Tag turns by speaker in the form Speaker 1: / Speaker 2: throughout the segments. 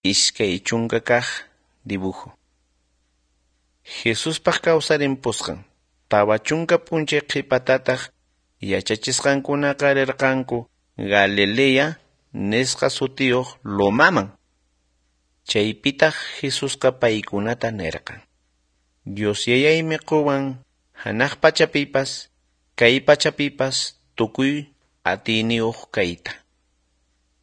Speaker 1: 20 kaq dibujo. Jesuspaq kawsarimpusqan 40 p'unchay qhipatataq yachachisqankunaqa rirqanku Galilea nisqa sutiyuq lomaman. Chaypitaq Jesusqa paykunata nirqan: Dios Yayaymi quwan hanaq pachapipas kay pachapipas tukuy atiyniyuq kayta.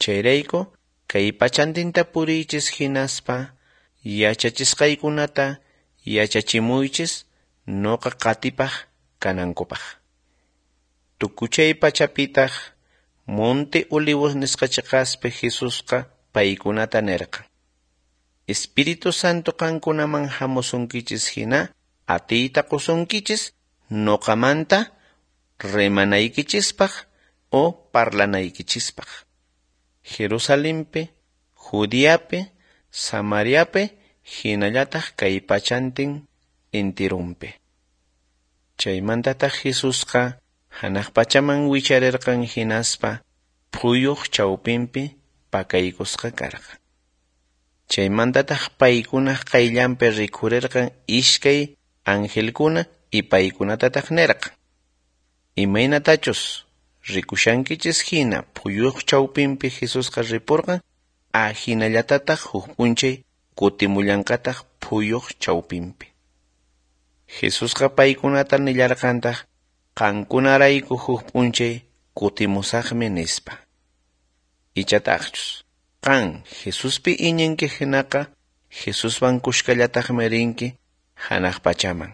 Speaker 1: Chayrayku kay pachantinta puriychis hinaspa yachachisqaykunata yachachimuychis nuqa qatipaq kanankupaq. Tukuchay pachapitaq Monte Olivos nisqa chiqaspi Jesusqa paykunata nirqan: Espíritu Santo qankunaman hamusunkichis hina atiyta qusunkichis nuqamanta rimanaykichispaq o parlanaykichispaq. Jerusalempi, Judeapi, Samariapi hinallataq kay pachantin intirunpi. Chaymantataq Jesusqa hanaq pachaman wicharirqan hinaspa phuyuq chawpinpi pakaykusqa karqan. Chaymantataq paykunaq qayllanpi rikhurirqan iskay angelkuna y paykunatataq nirqan: Imaynatachus rikushankichis hina phuyuq chawpinpi Jesusqa ripurqan, ahinallatataq huk p'unchay kutimullanqataq phuyuq chawpinpi. Jesusqa paykunata nillarqantaq: Qankunarayku huk p'unchay kutimusaqmi nispa. Ichataqchus qan Jesuspi iñinki hinaqa Jesuswan kushkallataqmi rinki hanaq pachaman.